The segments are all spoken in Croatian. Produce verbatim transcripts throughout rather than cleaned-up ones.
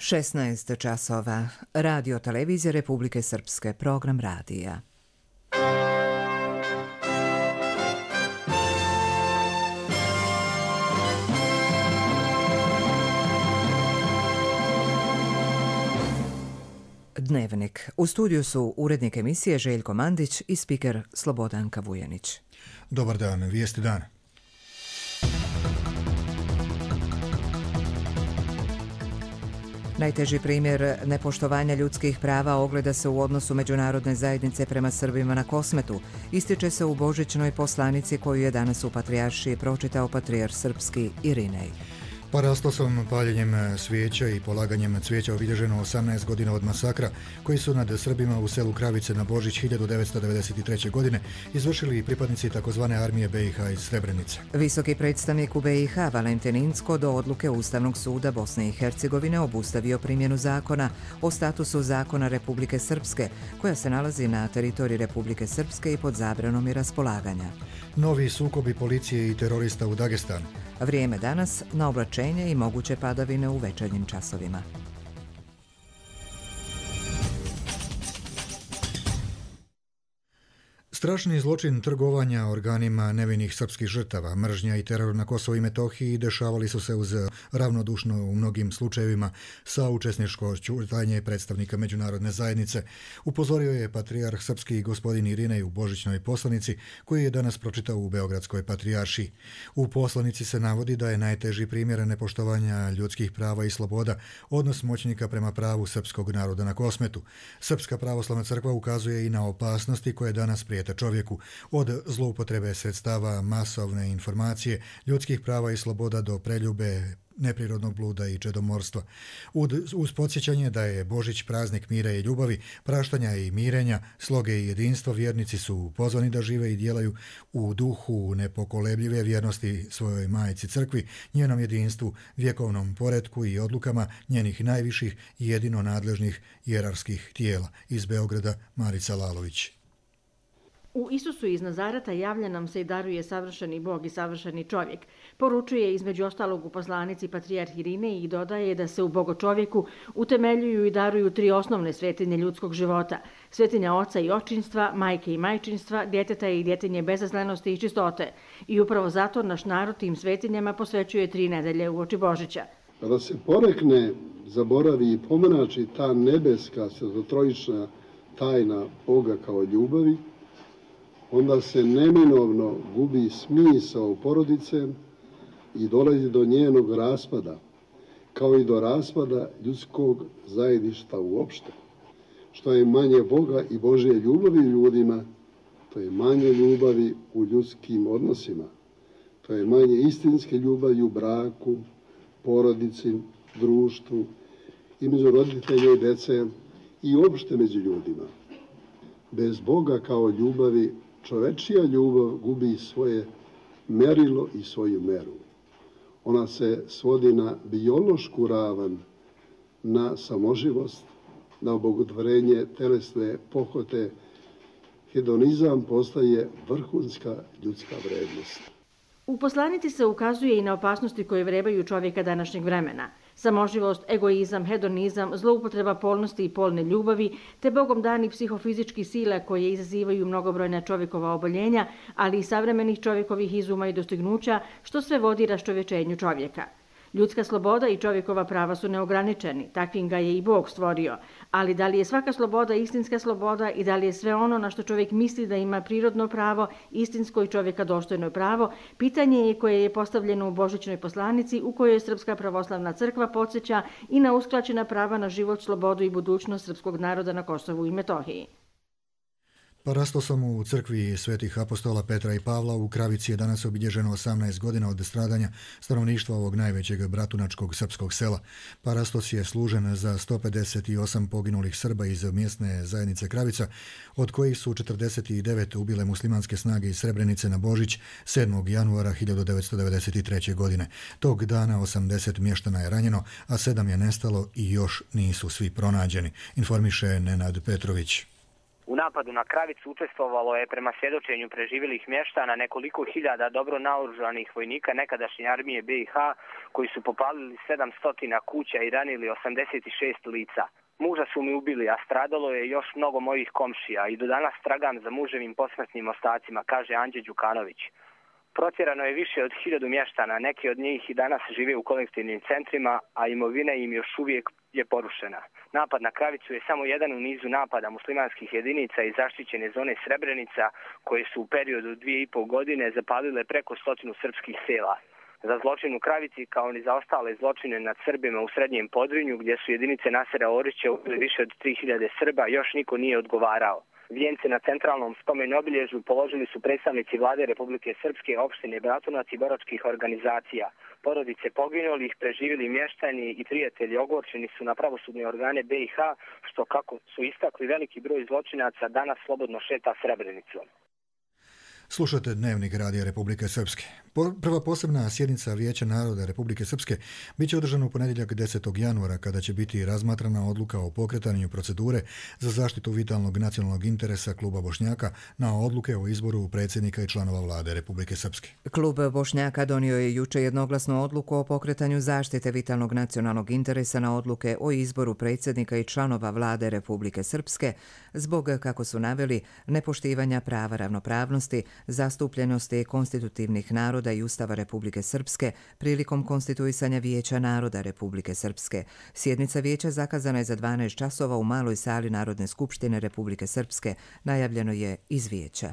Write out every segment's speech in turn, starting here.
šesnaest časova. Radio televizije Republike Srpske, program radija. Dnevnik. U studiju su urednik emisije Željko Mandić i spiker Slobodanka Vujanić. Dobar dan, vijesti dana. Najteži primjer nepoštovanja ljudskih prava ogleda se u odnosu međunarodne zajednice prema Srbima na Kosmetu. Ističe se u božićnoj poslanici koju je danas u Patrijaršiji pročitao patrijarh srpski Irinej. Parastosom, paljenjem svijeća i polaganjem cvijeća obilježeno osamnaest godina od masakra koji su nad Srbima u selu Kravice na Božić hiljadu devetsto devedeset treće. godine izvršili i pripadnici takozvane armije B i H iz Srebrenice. Visoki predstavnik u B i H Valentin Incko do odluke Ustavnog suda Bosne i Hercegovine obustavio primjenu zakona o statusu zakona Republike Srpske, koja se nalazi na teritoriji Republike Srpske i pod zabranom i raspolaganja. Novi sukobi policije i terorista u Dagestanu. Vrijeme danas na oblačenje i moguće padavine u večernjim časovima. Strašni zločin trgovanja organima nevinih srpskih žrtava, mržnja i teror na Kosovu i Metohiji dešavali su se uz ravnodušno u mnogim slučajevima sa učesničko ćutanje predstavnika međunarodne zajednice. Upozorio je patrijarh srpski gospodin Irinej u božićnoj poslanici koju je danas pročitao u Beogradskoj patrijaršiji. U poslanici se navodi da je najteži primjer nepoštovanja ljudskih prava i sloboda odnos moćnika prema pravu srpskog naroda na Kosmetu. Srpska pravoslavna crkva ukazuje i na opasnosti koje danas prijete čovjeku, od zloupotrebe sredstava masovne informacije, ljudskih prava i sloboda do preljube, neprirodnog bluda i čedomorstva. Uz podsjećanje da je Božić praznik mira i ljubavi, praštanja i mirenja, sloge i jedinstva, vjernici su pozvani da žive i djelaju u duhu nepokolebljive vjernosti svojoj majci crkvi, njenom jedinstvu, vjekovnom poretku i odlukama njenih najviših i jedino nadležnih hijerarskih tijela. Iz Beograda Marica Lalović. U Isusu iz Nazareta javlja nam se i daruje savršeni Bog i savršeni čovjek. Poručuje između ostalog u poslanici patrijarh Irinej i dodaje da se u bogočovjeku utemeljuju i daruju tri osnovne svetinje ljudskog života. Svetinja oca i očinstva, majke i majčinstva, djeteta i djetinje bezazlenosti i čistote. I upravo zato naš narod tim svetinjama posvećuje tri nedelje uoči Božića. Kada se porekne, zaboravi i pomrači ta nebeska svetotrojična tajna Boga kao ljubavi, onda se neminovno gubi smisao porodice i dolazi do njenog raspada, kao i do raspada ljudskog zajedništva uopšte. Što je manje Boga i Božje ljubavi u ljudima, to je manje ljubavi u ljudskim odnosima. To je manje istinske ljubavi u braku, porodici, društvu, između roditelja i dece i uopšte među ljudima. Bez Boga kao ljubavi čovečija ljubav gubi svoje merilo i svoju meru. Ona se svodi na biološku ravan, na samoživost, na obogatvorenje telesne pohote. Hedonizam postaje vrhunska ljudska vrednost. U poslanici se ukazuje i na opasnosti koje vrebaju čovjeka današnjeg vremena. Samoživost, egoizam, hedonizam, zloupotreba polnosti i polne ljubavi, te Bogom dani psihofizički sila koje izazivaju mnogobrojna čovjekova oboljenja, ali i savremenih čovjekovih izuma i dostignuća, što sve vodi raščovječenju čovjeka. Ljudska sloboda i čovjekova prava su neograničeni, takvim ga je i Bog stvorio, ali da li je svaka sloboda istinska sloboda i da li je sve ono na što čovjek misli da ima prirodno pravo, istinsko i čovjeka dostojno pravo, pitanje je koje je postavljeno u božićnoj poslanici u kojoj Srpska pravoslavna crkva podsjeća i na uskraćena prava na život, slobodu i budućnost srpskog naroda na Kosovu i Metohiji. Parastosom u crkvi svetih apostola Petra i Pavla u Kravici je danas obilježeno osamnaest godina od stradanja stanovništva ovog najvećeg bratunačkog srpskog sela. Parastos je služen za sto pedeset osam poginulih Srba iz mjesne zajednice Kravica, od kojih su četrdeset devet ubile muslimanske snage iz Srebrenice na Božić sedmog januara hiljadu devetsto devedeset treće. godine. Tog dana osamdeset mještana je ranjeno, a sedam je nestalo i još nisu svi pronađeni, informiše Nenad Petrović. U napadu na Kravicu učestvovalo je prema svjedočenju preživjelih mještana nekoliko hiljada dobro naoružanih vojnika nekadašnje armije be i ha koji su popalili sedamsto kuća i ranili osamdeset šest lica. Muža su mi ubili, a stradalo je još mnogo mojih komšija i do danas tragam za muževim posmrtnim ostacima, kaže Anđe Đukanović. Protjerano je više od hiljadu mještana, neki od njih i danas žive u kolektivnim centrima, a imovina im još uvijek je porušena. Napad na Kravicu je samo jedan u nizu napada muslimanskih jedinica iz zaštićene zone Srebrenica, koje su u periodu dvije i pol godine zapalile preko stotinu srpskih sela. Za zločin u Kravici, kao ni za ostale zločine nad Srbima u Srednjem Podrinju, gdje su jedinice Nasera Orića ubili više od tri hiljade Srba, još niko nije odgovarao. Vijence na centralnom spomen obilježju položili su predstavnici vlade Republike Srpske, opštine Bratunac i boračkih organizacija. Porodice poginulih, preživjeli mještani i prijatelji ogorčeni su na pravosudne organe be i ha, što, kako su istakli, veliki broj zločinaca danas slobodno šeta Srebrenicom. Slušate Dnevnik Radija Republike Srpske. Prva posebna sjednica Vijeća naroda Republike Srpske bit će održana u ponedjeljak desetog januara kada će biti razmatrana odluka o pokretanju procedure za zaštitu vitalnog nacionalnog interesa Kluba Bošnjaka na odluke o izboru predsjednika i članova vlade Republike Srpske. Klub Bošnjaka donio je juče jednoglasnu odluku o pokretanju zaštite vitalnog nacionalnog interesa na odluke o izboru predsjednika i članova vlade Republike Srpske zbog, kako su naveli, nepoštivanja prava ravnopravnosti, zastupljenosti konstitutivnih naroda i Ustava Republike Srpske prilikom konstituisanja Vijeća naroda Republike Srpske. Sjednica vijeća zakazana je za dvanaest časova u maloj sali Narodne skupštine Republike Srpske, najavljeno je iz vijeća.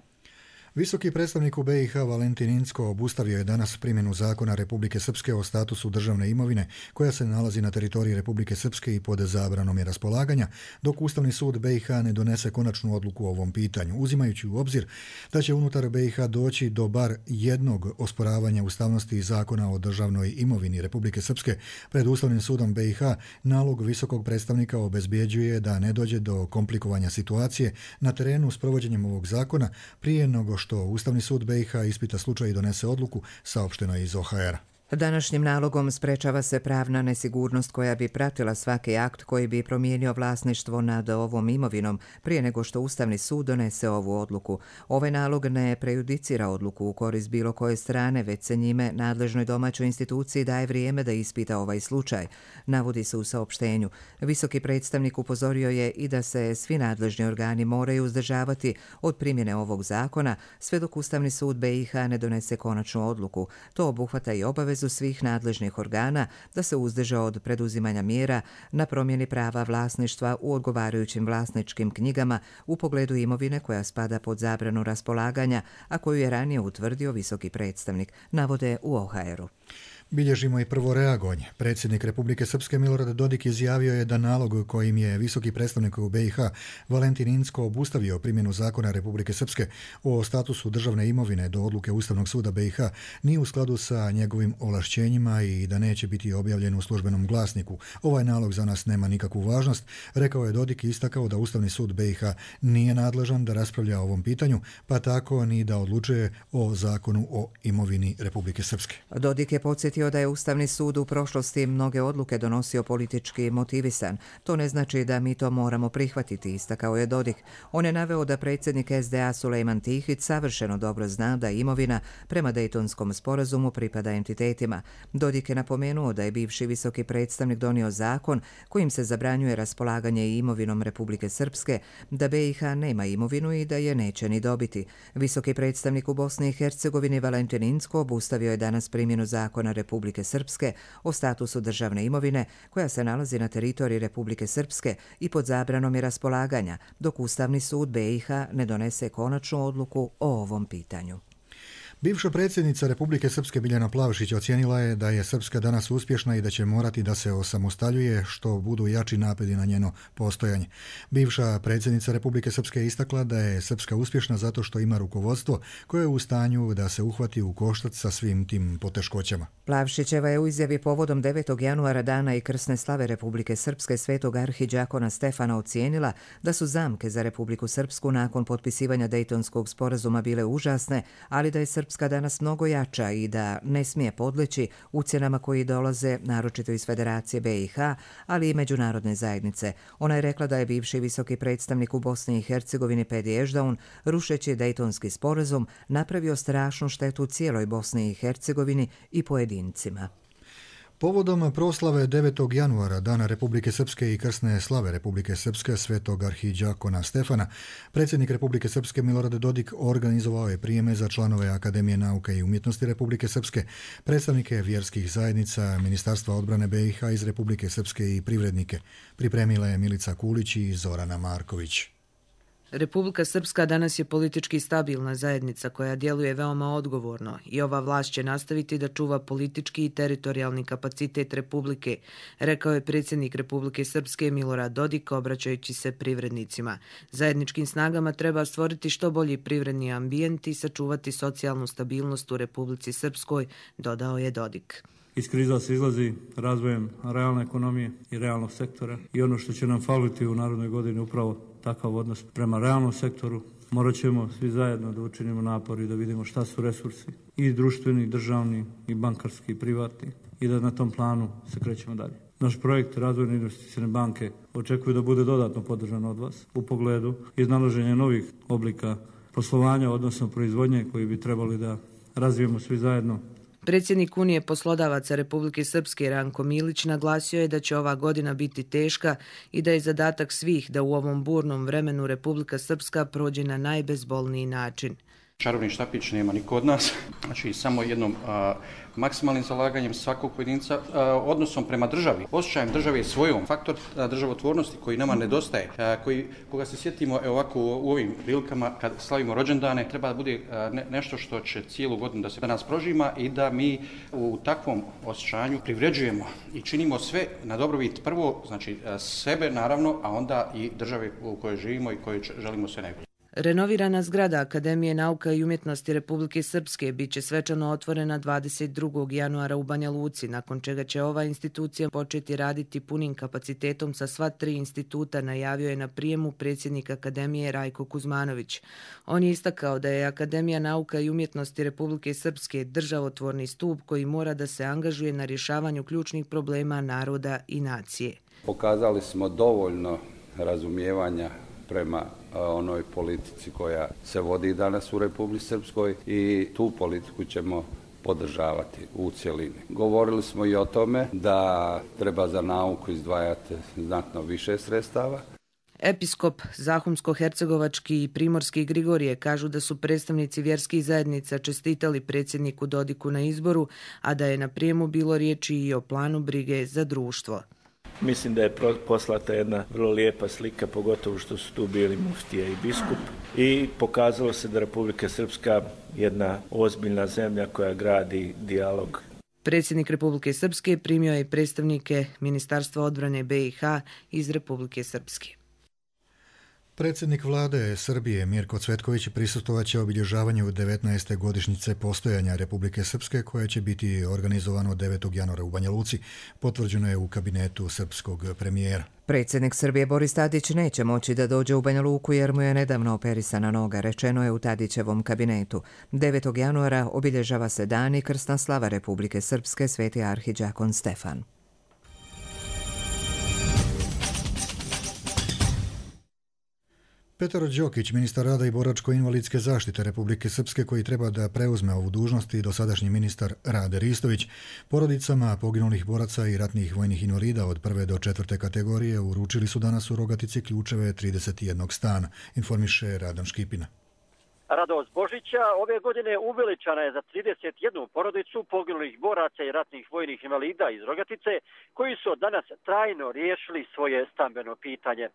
Visoki predstavnik u be i ha Valentin Incko obustavio je danas primjenu zakona Republike Srpske o statusu državne imovine koja se nalazi na teritoriji Republike Srpske i pod zabranom je raspolaganja, dok Ustavni sud be i ha ne donese konačnu odluku o ovom pitanju, uzimajući u obzir da će unutar be i ha doći do bar jednog osporavanja ustavnosti zakona o državnoj imovini Republike Srpske. Pred Ustavnim sudom be i ha nalog visokog predstavnika obezbjeđuje da ne dođe do komplikovanja situacije na terenu s provođenjem ovog zakona prije nego što Ustavni sud be i ha ispita slučaj i donese odluku, saopšteno iz o ha era. Današnjim nalogom sprečava se pravna nesigurnost koja bi pratila svaki akt koji bi promijenio vlasništvo nad ovom imovinom prije nego što Ustavni sud donese ovu odluku. Ovaj nalog ne prejudicira odluku u korist bilo koje strane, već se njime nadležnoj domaćoj instituciji daje vrijeme da ispita ovaj slučaj, navodi se u saopštenju. Visoki predstavnik upozorio je i da se svi nadležni organi moraju uzdržavati od primjene ovog zakona sve dok Ustavni sud be i ha ne donese konačnu odluku. To obuhvata i obavezu svih nadležnih organa da se uzdrže od preduzimanja mjera na promjeni prava vlasništva u odgovarajućim vlasničkim knjigama u pogledu imovine koja spada pod zabranu raspolaganja, a koju je ranije utvrdio visoki predstavnik, navode u o ha eru. Bilježimo i prvo reagovanje. Predsjednik Republike Srpske Milorad Dodik izjavio je da nalog kojim je visoki predstavnik u be i ha Valentin Incko obustavio primjenu zakona Republike Srpske o statusu državne imovine do odluke Ustavnog suda be i ha nije u skladu sa njegovim ovlašćenjima i da neće biti objavljen u službenom glasniku. Ovaj nalog za nas nema nikakvu važnost, rekao je Dodik i istakao da Ustavni sud be i ha nije nadležan da raspravlja o ovom pitanju, pa tako ni da odlučuje o zakonu o imovini Republike Srpske. Dodik je podsjetio da je Ustavni sud u prošlosti mnoge odluke donosio politički motivisan. To ne znači da mi to moramo prihvatiti, istakao je Dodik. On je naveo da predsjednik es de a Sulejman Tihić savršeno dobro zna da imovina prema Dejtonskom sporazumu pripada entitetima. Dodik je napomenuo da je bivši visoki predstavnik donio zakon kojim se zabranjuje raspolaganje imovinom Republike Srpske, da be i ha nema imovinu i da je neće ni dobiti. Visoki predstavnik u Bosni i Hercegovini Valentin Incko obustavio je danas primjenu zakona Republike Srpske o statusu državne imovine koja se nalazi na teritoriji Republike Srpske i pod zabranom je raspolaganja, dok Ustavni sud be i ha ne donese konačnu odluku o ovom pitanju. Bivša predsjednica Republike Srpske Biljana Plavšić ocijenila je da je Srpska danas uspješna i da će morati da se osamostaljuje što budu jači napadi na njeno postojanje. Bivša predsjednica Republike Srpske istakla da je Srpska uspješna zato što ima rukovodstvo koje je u stanju da se uhvati u koštac sa svim tim poteškoćama. Plavšićeva je u izjavi povodom devetog januara dana i krsne slave Republike Srpske svetog arhidžakona Stefana ocijenila da su zamke za Republiku Srpsku nakon potpisivanja Dejtonskog sporazuma bile užasne, ali da je Srpska Srpska danas mnogo jača i da ne smije podleći ucjenama koji dolaze naročito iz Federacije B i H, ali i međunarodne zajednice. Ona je rekla da je bivši visoki predstavnik u Bosni i Hercegovini Pedi Ešdaun, rušeći Dejtonski sporazum, napravio strašnu štetu cijeloj Bosni i Hercegovini i pojedincima. Povodom proslave devetog januara, Dana Republike Srpske i krsne slave Republike Srpske svetog arhidžakona Stefana, predsjednik Republike Srpske Milorad Dodik organizovao je prijeme za članove Akademije nauke i umjetnosti Republike Srpske, predstavnike vjerskih zajednica, Ministarstva odbrane B i H iz Republike Srpske i privrednike. Pripremila je Milica Kulić i Zorana Marković. Republika Srpska danas je politički stabilna zajednica koja djeluje veoma odgovorno i ova vlast će nastaviti da čuva politički i teritorijalni kapacitet Republike, rekao je predsjednik Republike Srpske Milorad Dodik obraćajući se privrednicima. Zajedničkim snagama treba stvoriti što bolji privredni ambijent i sačuvati socijalnu stabilnost u Republici Srpskoj, dodao je Dodik. Iz kriza se izlazi razvojem realne ekonomije i realnog sektora i ono što će nam faliti u narednoj godini upravo takav odnos prema realnom sektoru. Morat ćemo svi zajedno da učinimo napor i da vidimo šta su resursi i društveni, i državni, i bankarski, i privatni i da na tom planu se krećemo dalje. Naš projekt Razvojne investicione banke očekuje da bude dodatno podržan od vas u pogledu iznalaženja novih oblika poslovanja, odnosno proizvodnje koji bi trebali da razvijemo svi zajedno. Predsjednik Unije poslodavaca Republike Srpske Ranko Milić naglasio je da će ova godina biti teška i da je zadatak svih da u ovom burnom vremenu Republika Srpska prođe na najbezbolniji način. Čarobni štapić nema niko od nas, znači samo jednom a, maksimalnim zalaganjem svakog pojedinca, a, odnosom prema državi, osjećajem države svojom, faktor a, državotvornosti koji nama nedostaje, a, koji, koga se sjetimo evo ovako u, u ovim prilikama kad slavimo rođendane, treba da bude a, ne, nešto što će cijelu godinu da se da nas prožima i da mi u takvom osjećanju privređujemo i činimo sve na dobrobit prvo, znači a, sebe naravno, a onda i države u kojoj živimo i kojoj želimo sve najbolje. Renovirana zgrada Akademije nauka i umjetnosti Republike Srpske bit će svečano otvorena dvadeset drugog januara u Banja Luci, nakon čega će ova institucija početi raditi punim kapacitetom sa sva tri instituta, najavio je na prijemu predsjednik Akademije Rajko Kuzmanović. On je istakao da je Akademija nauka i umjetnosti Republike Srpske državotvorni stup koji mora da se angažuje na rješavanju ključnih problema naroda i nacije. Pokazali smo dovoljno razumijevanja prema onoj politici koja se vodi danas u Republici Srpskoj i tu politiku ćemo podržavati u cjelini. Govorili smo i o tome da treba za nauku izdvajati znatno više sredstava. Episkop Zahumsko-hercegovački i Primorski Grigorije kažu da su predstavnici vjerskih zajednica čestitali predsjedniku Dodiku na izboru, a da je na prijemu bilo riječi i o planu brige za društvo. Mislim da je poslata jedna vrlo lijepa slika, pogotovo što su tu bili muftija i biskup. I pokazalo se da Republika Srpska jedna ozbiljna zemlja koja gradi dijalog. Predsjednik Republike Srpske primio je predstavnike Ministarstva odbrane B i H iz Republike Srpske. Predsjednik vlade Srbije Mirko Cvetković prisustvovaće obilježavanju devetnaeste godišnjice postojanja Republike Srpske koje će biti organizovano devetog januara u Banja Luci, potvrđeno je u kabinetu srpskog premijera. Predsjednik Srbije Boris Tadić neće moći da dođe u Banja Luku jer mu je nedavno operisana noga, rečeno je u Tadićevom kabinetu. devetog januara obilježava se dan i krsna slava Republike Srpske Sveti arhidžakon Stefan. Petar Đokić, ministar rada i boračko-invalidske zaštite Republike Srpske, koji treba da preuzme ovu dužnost, i dosadašnji ministar Rade Ristović, porodicama poginulih boraca i ratnih vojnih invalida od prve do četvrte kategorije uručili su danas u Rogatici ključeve trideset jednog stana, informiše Radan Škipina. Radost Božića ove godine uveličana je za trideset jednu porodicu poginulih boraca i ratnih vojnih invalida iz Rogatice, koji su od danas trajno riješili svoje stambeno pitanje.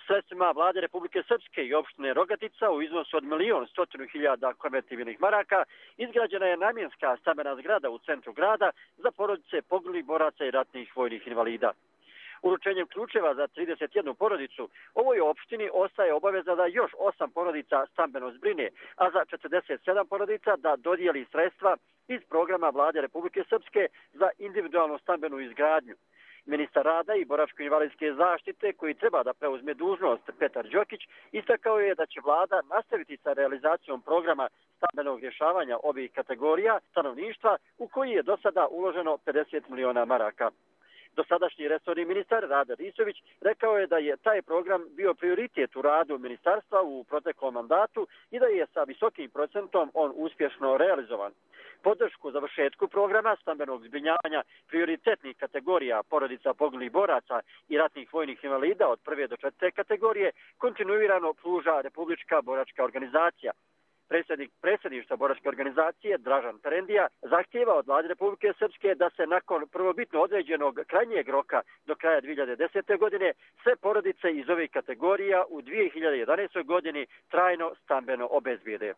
Sredstvima vlade Republike Srpske i opštine Rogatica u iznosu od milion stotinu hiljada konvertibilnih maraka izgrađena je namjenska stambena zgrada u centru grada za porodice poginulih boraca i ratnih vojnih invalida. Uručenjem ključeva za trideset jednu porodicu ovoj opštini ostaje obaveza da još osam porodica stambeno zbrine, a za četrdeset sedam porodica da dodijeli sredstva iz programa vlade Republike Srpske za individualnu stambenu izgradnju. Ministar rada i boračko-invalidske zaštite, koji treba da preuzme dužnost, Petar Đokić, istakao je da će vlada nastaviti sa realizacijom programa stambenog rješavanja ovih kategorija stanovništva u koji je do sada uloženo pedeset miliona maraka. Dosadašnji resorni ministar Rade Risović rekao je da je taj program bio prioritet u radu ministarstva u proteklom mandatu i da je sa visokim procentom on uspješno realizovan. Podršku završetku programa stambenog zbrinjavanja prioritetnih kategorija porodica poginulih boraca i ratnih vojnih invalida od prve do četvrte kategorije kontinuirano pruža Republička boračka organizacija. Predsjednik predsjedništva boračke organizacije Dražan Terendija zahtijeva od vlade Republike Srpske da se nakon prvobitno određenog krajnjeg roka do kraja dvije hiljade desete. godine sve porodice iz ovih kategorija u dvije hiljade jedanaestoj. godini trajno stambeno obezbijede.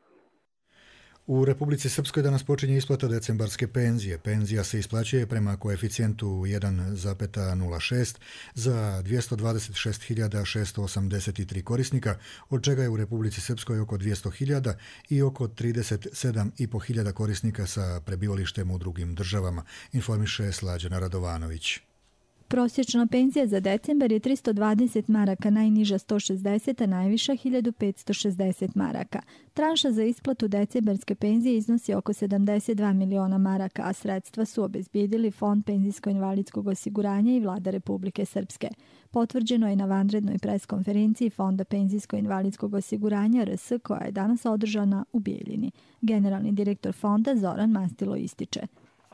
U Republici Srpskoj danas počinje isplata decembarske penzije. Penzija se isplaćuje prema koeficijentu jedan zarez nula šest za dvjesto dvadeset šest hiljada šesto osamdeset tri korisnika, od čega je u Republici Srpskoj oko dvjesto hiljada i oko trideset sedam i po hiljada korisnika sa prebivalištem u drugim državama, informiše Slađana Radovanović. Prosječna penzija za decembar je tristo dvadeset maraka, najniža sto šezdeset, a najviša hiljadu petsto šezdeset maraka. Tranša za isplatu decembarske penzije iznosi oko sedamdeset dva miliona maraka, a sredstva su obezbijedili Fond penzijsko-invalidskog osiguranja i vlada Republike Srpske. Potvrđeno je na vanrednoj preskonferenciji Fonda penzijsko-invalidskog osiguranja R S koja je danas održana u Bijeljini. Generalni direktor fonda Zoran Mastilo ističe: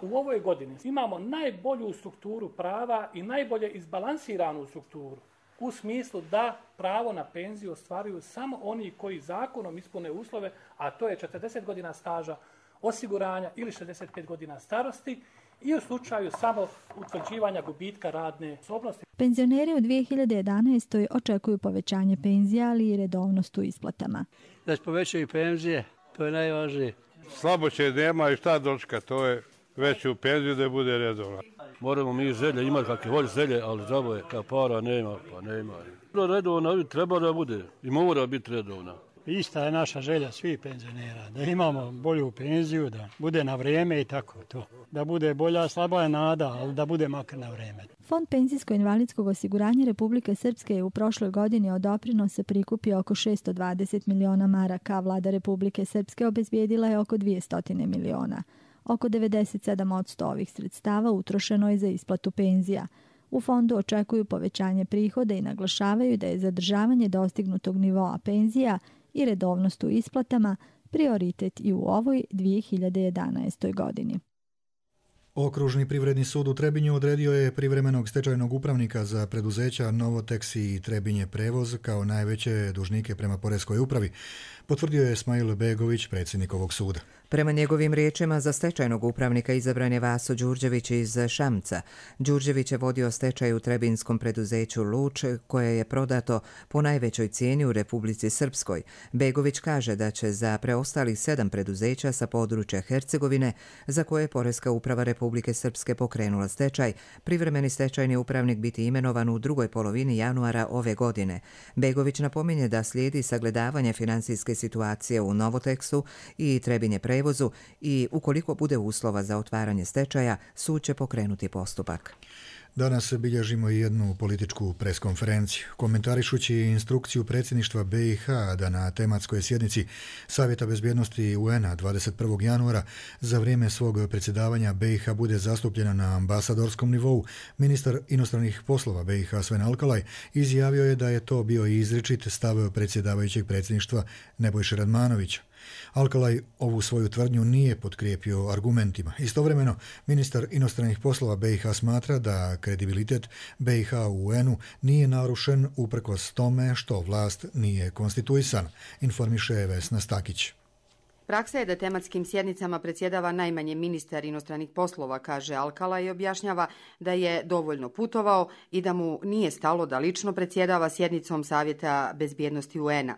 u ovoj godini imamo najbolju strukturu prava i najbolje izbalansiranu strukturu u smislu da pravo na penziju ostvaruju samo oni koji zakonom ispune uslove, a to je četrdeset godina staža osiguranja ili šezdeset pet godina starosti i u slučaju samo utvrđivanja gubitka radne sposobnosti. Penzioneri u dvije hiljade jedanaestoj. očekuju povećanje penzija, ali i redovnost u isplatama. Da se povećaju penzije, to je najvažnije. Slabo će nema i šta dočka, to je već u penziju da bude redovno. Moramo mi želje imati kakve volje želje, ali žabo je, kao para nema, pa nema. Redovna treba da bude i mora biti redovna. Ista je naša želja svih penzionera, da imamo bolju penziju, da bude na vrijeme i tako to. Da bude bolja, slaba je nada, ali da bude makar na vrijeme. Fond penzijsko-invalidskog osiguranja Republike Srpske je u prošloj godini od doprinosa prikupio oko šesto dvadeset miliona maraka, a vlada Republike Srpske obezbijedila je oko dvjesto miliona. Oko devedeset sedam posto ovih sredstava utrošeno je za isplatu penzija. U fondu očekuju povećanje prihoda i naglašavaju da je zadržavanje dostignutog nivoa penzija i redovnost u isplatama prioritet i u ovoj dvije hiljade jedanaestoj. godini. Okružni privredni sud u Trebinju odredio je privremenog stečajnog upravnika za preduzeća Novotex i Trebinje prevoz kao najveće dužnike prema poreskoj upravi, potvrdio je Smail Begović, predsjednik ovog suda. Prema njegovim riječima, za stečajnog upravnika izabran je Vaso Đurđević iz Šamca. Đurđević je vodio stečaj u trebinskom preduzeću Luč, koje je prodato po najvećoj cijeni u Republici Srpskoj. Begović kaže da će za preostalih sedam preduzeća sa područja Hercegovine, za koje je Poreska uprava Republike Srpske pokrenula stečaj, privremeni stečajni upravnik biti imenovan u drugoj polovini januara ove godine. Begović napominje da slijedi sagledavanje financijske situacije u Novotexu i Trebinje prevozu i ukoliko bude uslova za otvaranje stečaja, sud će pokrenuti postupak. Danas bilježimo i jednu političku preskonferenciju. Komentarišući instrukciju predsjedništva B i H da na tematskoj sjednici Savjeta bezbjednosti U N-a dvadeset prvog januara za vrijeme svog predsjedavanja B i H bude zastupljena na ambasadorskom nivou, ministar inostranih poslova B i H Sven Alkalaj izjavio je da je to bio izričit stav predsjedavajućeg predsjedništva Nebojše Radmanovića. Alkalaj ovu svoju tvrdnju nije potkrijepio argumentima. Istovremeno, ministar inostranih poslova B i H smatra da kredibilitet B i H u U N-u nije narušen uprkos tome što vlast nije konstituisana, informiše Vesna Stakić. Praksa je da tematskim sjednicama predsjedava najmanje ministar inostranih poslova, kaže Alkalaj i objašnjava da je dovoljno putovao i da mu nije stalo da lično predsjedava sjednicom Savjeta bezbjednosti U N-a.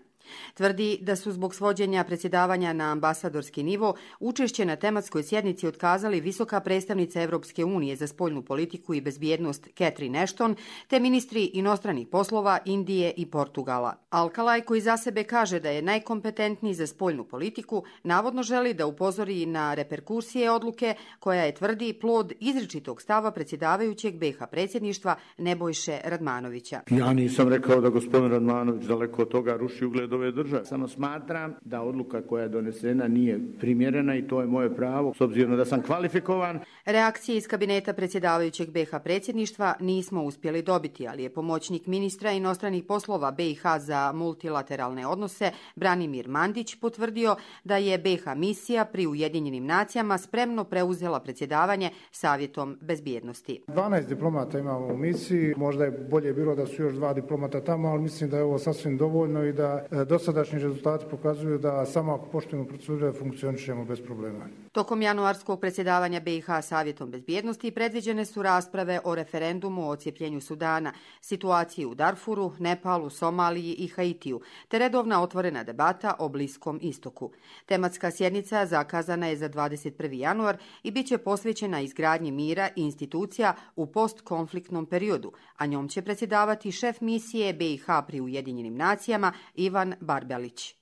Tvrdi da su zbog svođenja predsjedavanja na ambasadorski nivo učešće na tematskoj sjednici otkazali visoka predstavnica Evropske unije za spoljnu politiku i bezbjednost Catherine Ashton te ministri inostranih poslova Indije i Portugala. Alkalaj, koji za sebe kaže da je najkompetentniji za spoljnu politiku, navodno želi da upozori na reperkusije odluke koja je, tvrdi, plod izričitog stava predsjedavajućeg B i H predsjedništva Nebojše Radmanovića. Ja nisam rekao da gospodin Radmanović daleko od toga ruši ugled ove države. Samo smatram da odluka koja je donesena nije primjerena i to je moje pravo, s obzirom da sam kvalifikovan. Reakcije iz kabineta predsjedavajućeg B i H predsjedništva nismo uspjeli dobiti, ali je pomoćnik ministra inostranih poslova B i H za multilateralne odnose Branimir Mandić potvrdio da je B i H misija pri Ujedinjenim nacijama spremno preuzela predsjedavanje Savjetom bezbjednosti. dvanaest diplomata imamo u misiji, možda je bolje bilo da su još dva diplomata tamo, ali mislim da je ovo sasvim dovoljno i da dosadašnji rezultati pokazuju da samo ako poštujemo procedure funkcionišemo bez problema. Tokom januarskog predsjedavanja B i H Savjetom bezbjednosti predviđene su rasprave o referendumu o odcijepljenju Sudana, situaciji u Darfuru, Nepalu, Somaliji i Haitiju, te redovna otvorena debata o Bliskom istoku. Tematska sjednica zakazana je za dvadeset prvi januar i bit će posvećena izgradnji mira i institucija u postkonfliktnom periodu, a njom će predsjedavati šef misije B i H pri Ujedinjenim nacijama Ivan Barbelić.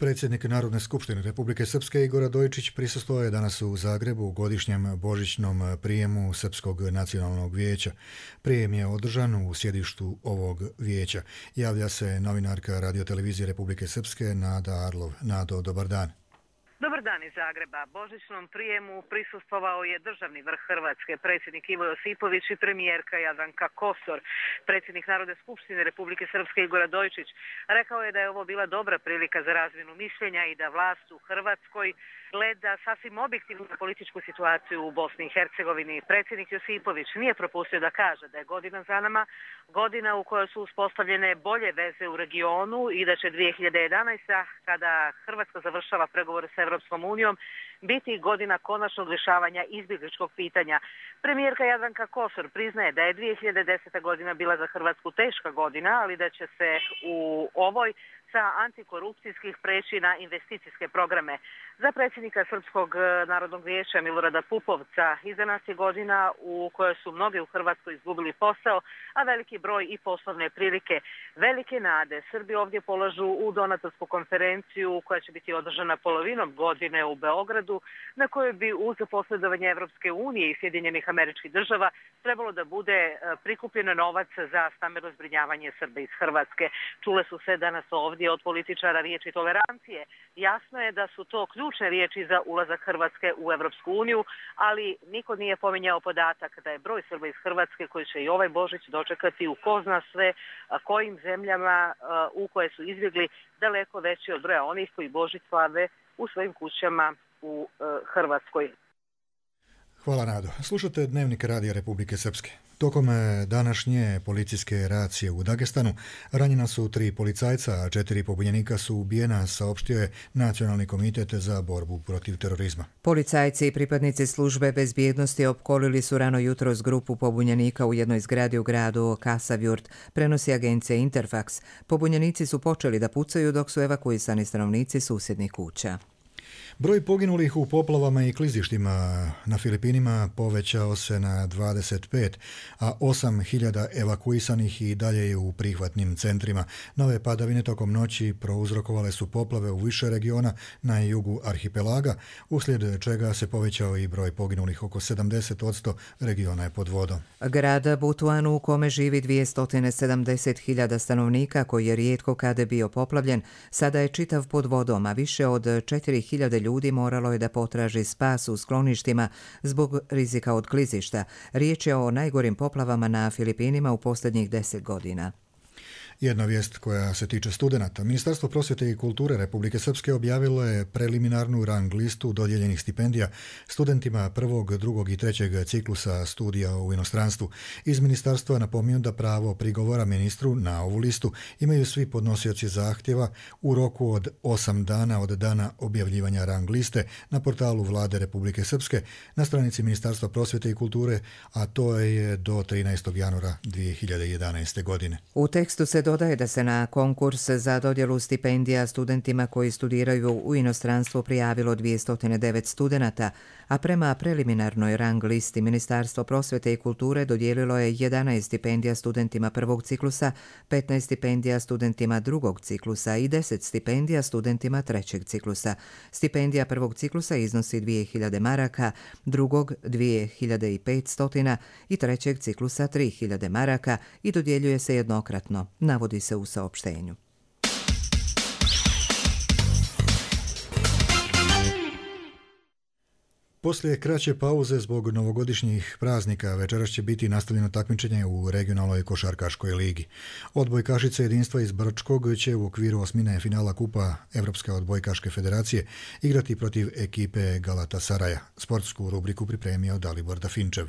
Predsjednik Narodne skupštine Republike Srpske Igor Radojičić prisustvovao je danas u Zagrebu u godišnjem božićnom prijemu Srpskog nacionalnog vijeća. Prijem je održan u sjedištu ovog vijeća. Javlja se novinarka radiotelevizije Republike Srpske Nada Arlov. Nado, dobar dan. Dobar dan iz Zagreba. Božićnom prijemu prisustvovao je državni vrh Hrvatske, predsjednik Ivo Josipović i premijerka Jadranka Kosor. Predsjednik Narodne skupštine Republike Srpske Igor Radojičić rekao je da je ovo bila dobra prilika za razmjenu mišljenja i da vlast u Hrvatskoj gleda sasvim objektivnu političku situaciju u Bosni i Hercegovini. Predsjednik Josipović nije propustio da kaže da je godina za nama, godina u kojoj su uspostavljene bolje veze u regionu i da će dvije hiljade jedanaesta. kada Hrvatska završava pregovore sa Evropskom unijom, biti godina konačnog rješavanja izbjegličkog pitanja. Premijerka Jadranka Kosor priznaje da je dvije hiljade deseta. godina bila za Hrvatsku teška godina, ali da će se u ovoj sa antikorupcijskih preći na investicijske programe. Za predsjednika Srpskog narodnog vijeća Milorada Pupovca iza nas je godina u kojoj su mnogi u Hrvatskoj izgubili posao, a veliki broj i poslovne prilike. Velike nade Srbi ovdje polažu u donatorsku konferenciju koja će biti održana polovinom godine u Beogradu, na kojoj bi uz posredovanje Evropske unije i Sjedinjenih Američkih Država trebalo da bude prikupljeno novac za stambeno zbrinjavanje Srba iz Hrvatske. Čule su se danas ovdje od političara riječi tolerancije. Jasno je da su to ključne riječi za ulazak Hrvatske u Evropsku uniju, ali niko nije pominjao podatak da je broj Srba iz Hrvatske koji će i ovaj Božić dočekati u ko zna sve kojim zemljama u koje su izbjegli daleko veći od broja onih koji Božić slave u svojim kućama u Hrvatskoj. Hvala, Nado. Slušate Dnevnik Radija Republike Srpske. Tokom današnje policijske racije u Dagestanu ranjena su tri policajca, a četiri pobunjenika su ubijena, saopštio je Nacionalni komitet za borbu protiv terorizma. Policajci i pripadnici službe bezbjednosti opkolili su rano jutros grupu pobunjenika u jednoj zgradi u gradu Kasavjurt, prenosi agencija Interfax. Pobunjenici su počeli da pucaju dok su evakuisani stanovnici susjednih kuća. Broj poginulih u poplavama i klizištima na Filipinima povećao se na dvadeset pet, a osam hiljada evakuisanih i dalje je u prihvatnim centrima. Nove padavine tokom noći prouzrokovale su poplave u više regiona na jugu arhipelaga, uslijed čega se povećao i broj poginulih. Oko sedamdeset posto regiona je pod vodom. Grad Butuanu, u kome živi dvjesto sedamdeset hiljada stanovnika, koji je rijetko kada bio poplavljen, sada je čitav pod vodom, a više od četiri hiljade ljudi moralo je da potraži spas u skloništima zbog rizika od klizišta. Riječ je o najgorim poplavama na Filipinima u posljednjih deset godina. Jedna vijest koja se tiče studenata. Ministarstvo prosvjete i kulture Republike Srpske objavilo je preliminarnu rang listu dodijeljenih stipendija studentima prvog, drugog i trećeg ciklusa studija u inostranstvu. Iz ministarstva napominju da pravo prigovora ministru na ovu listu imaju svi podnosioci zahtjeva u roku od osam dana od dana objavljivanja rang liste na portalu Vlade Republike Srpske na stranici Ministarstva prosvjete i kulture, a to je do trinaestog januara dvije hiljade jedanaeste. godine. U tekstu se dodaje da se na konkurs za dodjelu stipendija studentima koji studiraju u inostranstvu prijavilo dvjesto devet studenata, a prema preliminarnoj rang listi Ministarstvo prosvjete i kulture dodijelilo je jedanaest stipendija studentima prvog ciklusa, petnaest stipendija studentima drugog ciklusa i deset stipendija studentima trećeg ciklusa. Stipendija prvog ciklusa iznosi dvije hiljade maraka, drugog dvije hiljade petsto i trećeg ciklusa tri hiljade maraka i dodjeljuje se jednokratno, navodi se u saopštenju. Poslije kraće pauze zbog novogodišnjih praznika večeras će biti nastavljeno takmičenje u regionalnoj košarkaškoj ligi. Odbojkašice jedinstva iz Brčkog će u okviru osmine finala Kupa Evropske odbojkaške federacije igrati protiv ekipe Galatasaraja. Sportsku rubriku pripremio Dalibor Dafinčev.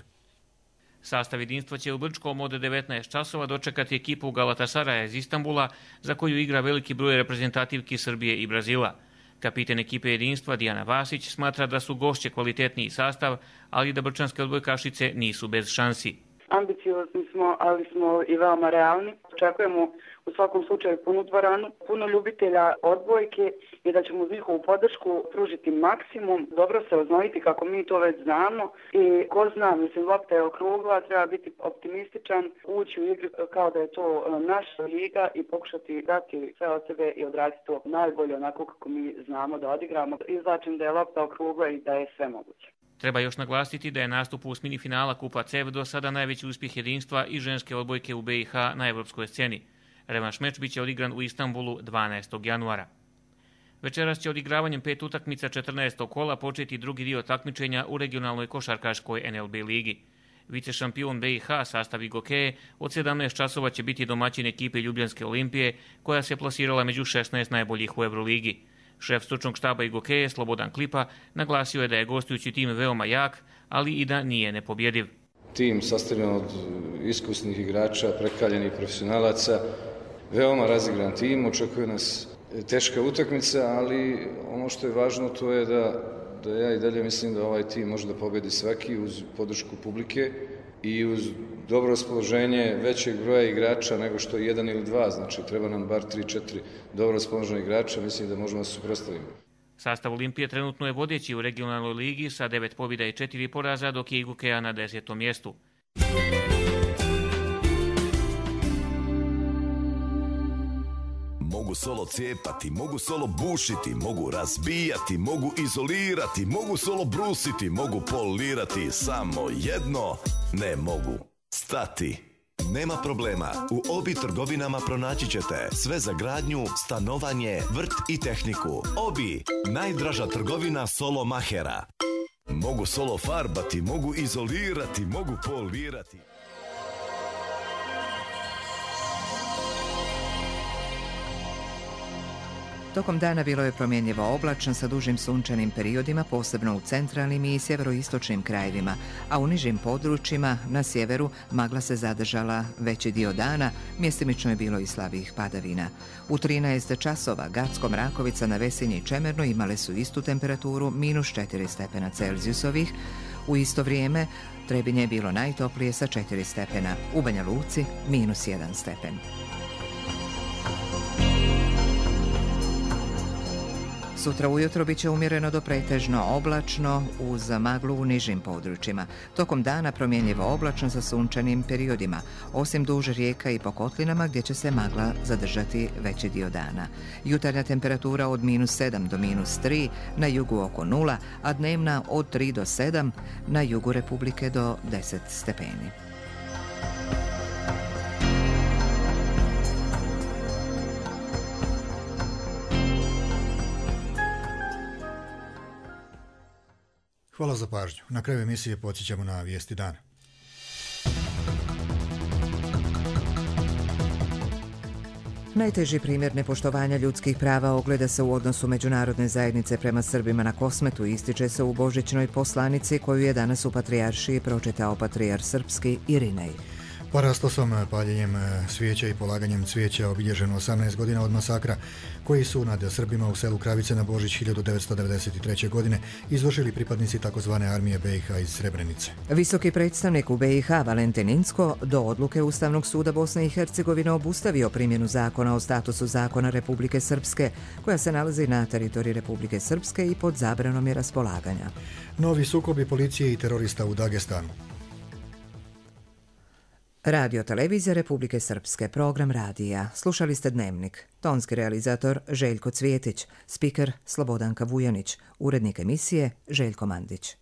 Sastav jedinstva će u Brčkom od devetnaest časova dočekati ekipu Galatasaraja iz Istanbula, za koju igra veliki broj reprezentativki Srbije i Brazila. Kapiten ekipe jedinstva Dijana Vasić smatra da su gošće kvalitetniji sastav, ali da brčanske odbojkašice nisu bez šansi. Ambiciozni smo, ali smo i veoma realni. Očekujemo u svakom slučaju punu dvoranu, puno ljubitelja odbojke i da ćemo uz njihovu podršku pružiti maksimum, dobro se oznojiti kako mi to već znamo i ko zna, mislim, lopta je okrugla, treba biti optimističan, ući u igru kao da je to naša liga i pokušati dati sve od sebe i odraditi to najbolje onako kako mi znamo da odigramo. Izlačim da je lopta okrugla i da je sve moguće. Treba još naglasiti da je nastup u osmini finala Kupa C E V do sada najveći uspjeh jedinstva i ženske odbojke u B i H na evropskoj sceni. Revanš meč biće odigran u Istanbulu dvanaestog januara. Večeras će odigravanjem pet utakmica četrnaestog kola početi drugi dio takmičenja u regionalnoj košarkaškoj N L B ligi. Vice šampion B i H sastav Igokeje od sedamnaest časova će biti domaćin ekipe Ljubljanske Olimpije, koja se plasirala među šesnaest najboljih u Euroligi. Šef stručnog štaba Igokeje, Slobodan Klipa, naglasio je da je gostujući tim veoma jak, ali i da nije nepobjediv. Tim sastavljen od iskusnih igrača, prekaljenih profesionalaca, veoma razigran tim, očekuje nas teška utakmica, ali ono što je važno to je da, da ja i dalje mislim da ovaj tim može da pobedi svaki uz podršku publike i uz dobro raspoloženje većeg broja igrača nego što je jedan ili dva, znači treba nam bar tri četiri dobro raspoloženih igrača, mislim da možemo da se suprotstavimo. Sastav Olimpije trenutno je vodeći u regionalnoj ligi sa devet pobjeda i četiri poraza, dok je Igokeja na desetom mjestu. Mogu solo cijepati, mogu solo bušiti, mogu razbijati, mogu izolirati, mogu solo brusiti, mogu polirati, samo jedno ne mogu. Stati. Nema problema, u Obi trgovinama pronaći ćete sve za gradnju, stanovanje, vrt i tehniku. Obi, najdraža trgovina solo mahera. Mogu solo farbati, mogu izolirati, mogu polirati. Tokom dana bilo je promjenjivo oblačno sa dužim sunčanim periodima, posebno u centralnim i sjeveroistočnim krajevima, a u nižim područjima na sjeveru magla se zadržala veći dio dana, mjestimično je bilo i slabijih padavina. U trinaest časova Gacko, Mrakovica, na Vesinji i Čemernu imale su istu temperaturu, minus četiri stepena Celzijusovih. U isto vrijeme Trebinje je bilo najtoplije sa četiri stepena, u Banja Luci minus jedan stepen. Sutra ujutro bit će umjereno do pretežno oblačno uz maglu u nižim područjima. Tokom dana promjenjivo oblačno sa sunčanim periodima, osim duž rijeka i po kotlinama gdje će se magla zadržati veći dio dana. Jutarnja temperatura od minus sedam do minus tri, na jugu oko nula, a dnevna od tri do sedam, na jugu Republike do deset stepeni. Hvala za pažnju. Na kraju emisije podsjećamo na vijesti dana. Najteži primjer nepoštovanja ljudskih prava ogleda se u odnosu međunarodne zajednice prema Srbima na Kosmetu, ističe se u božićnoj poslanici koju je danas u Patrijaršiji pročitao patrijar srpski Irinej. Parastosom, paljenjem svijeća i polaganjem cvijeća obilježeno osamnaest godina od masakra koji su nad Srbima u selu Kravice na Božić hiljadu devetsto devedeset treće. godine izvršili pripadnici takozvane armije B i H iz Srebrenice. Visoki predstavnik u B i H Valentin Incko do odluke Ustavnog suda Bosne i Hercegovine obustavio primjenu zakona o statusu zakona Republike Srpske koja se nalazi na teritoriji Republike Srpske i pod zabranom je raspolaganja. Novi sukobi policije i terorista u Dagestanu. Radio televizija Republike Srpske, program radija. Slušali ste Dnevnik. Tonski realizator Željko Cvjetić, spiker Slobodanka Vujanić, urednik emisije Željko Mandić.